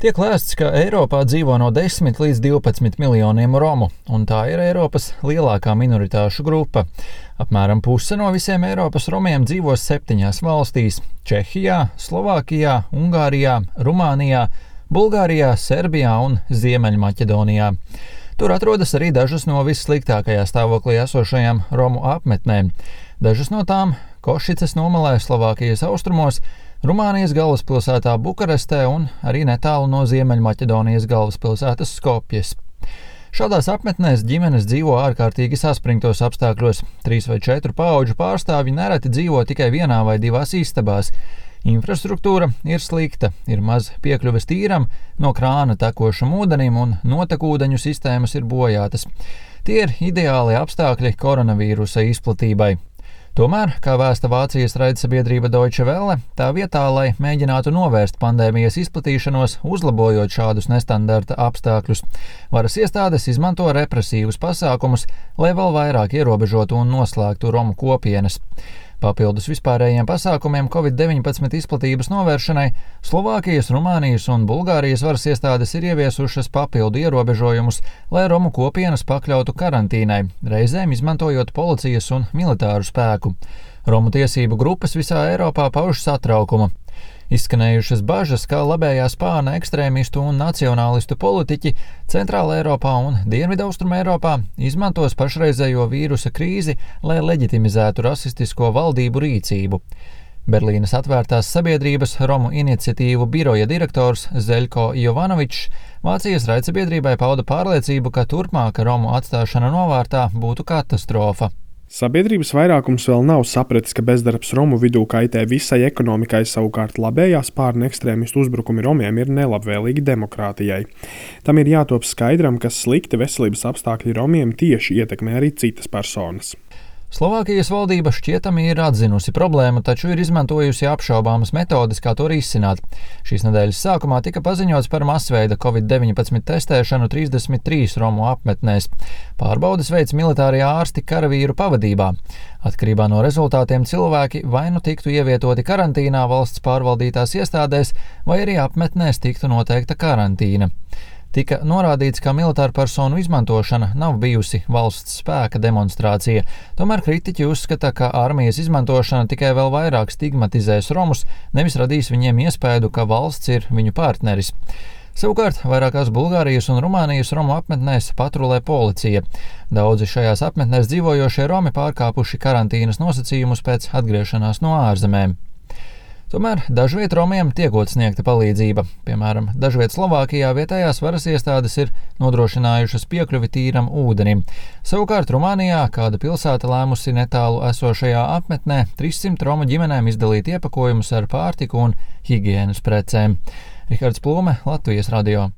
Tiek lēsts, ka Eiropā dzīvo no 10 līdz 12 miljoniem romu, un tā ir Eiropas lielākā minoritāšu grupa. Apmēram puse no visiem Eiropas romiem dzīvo 7 valstīs - Čehijā, Slovākijā, Ungārijā, Rumānijā, Bulgārijā, Serbijā un Ziemeļmaķedonijā. Tur atrodas arī dažas no vissliktākajā stāvoklī esošajām romu apmetnēm. Dažas no tām - Košicas nomalē Slovākijas austrumos, Rumānijas galvaspilsētā Bukarestē un arī netālu no Ziemeļmaķedonijas galvaspilsētas Skopjes. Šādās apmetnēs ģimenes dzīvo ārkārtīgi saspringtos apstākļos. 3 vai 4 paudžu pārstāvji nereti dzīvo tikai vienā vai 2 istabās. Infrastruktūra ir slikta, ir maz piekļuves tīram, no krāna tekošam ūdenim un notekūdeņu sistēmas ir bojātas. Tie ir ideāli apstākļi koronavīrusa izplatībai. Tomēr, kā vēsta Vācijas raidsabiedrība Deutsche Welle, tā vietā, lai mēģinātu novērst pandēmijas izplatīšanos, uzlabojot šādus nestandarta apstākļus, varas iestādes izmanto represīvus pasākumus, lai vēl vairāk ierobežotu un noslēgtu romu kopienas. Papildus vispārējiem pasākumiem Covid-19 izplatības novēršanai Slovākijas, Rumānijas un Bulgārijas varas iestādes ir ieviesušas papildu ierobežojumus, lai romu kopienas pakļautu karantīnai, reizēm izmantojot policijas un militāru spēku. Romu tiesību grupas visā Eiropā pauž satraukumu. Izskanējušas bažas, ka labējā spārna ekstrēmistu un nacionālistu politiķi Centrāla Eiropā un Dienvidaustruma Eiropā izmantos pašreizējo vīrusa krīzi, lai leģitimizētu rasistisko valdību rīcību. Berlīnes atvērtās sabiedrības Romu iniciatīvu biroja direktors Zeļko Jovanovičs Vācijas raidsabiedrībai pauda pārliecību, ka turpmāka romu atstāšana novārtā būtu katastrofa. Sabiedrības vairākums vēl nav sapratis, ka bezdarbs romu vidū kaitē visai ekonomikai, savukārt labējā spārna ekstrēmistu uzbrukumi romiem ir nelabvēlīgi demokrātijai. Tam ir jātop skaidram, ka slikti veselības apstākļi romiem tieši ietekmē arī citas personas. Slovākijas valdība šķietami ir atzinusi problēmu, taču ir izmantojusi apšaubāmas metodes, kā to risināt. Šīs nedēļas sākumā tika paziņots par masveida Covid-19 testēšanu 33 romu apmetnēs. Pārbaudes veids militārie ārsti karavīru pavadībā. Atkarībā no rezultātiem cilvēki vai nu tiktu ievietoti karantīnā valsts pārvaldītās iestādēs, vai arī apmetnēs tiktu noteikta karantīna. Tika norādīts, ka militāru personu izmantošana nav bijusi valsts spēka demonstrācija. Tomēr kritiķi uzskata, ka armijas izmantošana tikai vēl vairāk stigmatizēs romus, nevis radīs viņiem iespēju, ka valsts ir viņu partneris. Savukārt, vairākās Bulgārijas un Rumānijas romu apmetnēs patrulē policija. Daudzi šajās apmetnēs dzīvojošie romi pārkāpuši karantīnas nosacījumus pēc atgriešanās no ārzemēm. Tomēr dažviet romiem tiekot sniegta palīdzība. Piemēram, dažviet Slovākijā vietējās varas iestādes ir nodrošinājušas piekļuvi tīram ūdenim. Savukārt Rumānijā kāda pilsēta lēmusi netālu esošajā apmetnē 300 romu ģimenēm izdalīt iepakojumus ar pārtiku un higienas precēm. Rihards Plūme, Latvijas radio.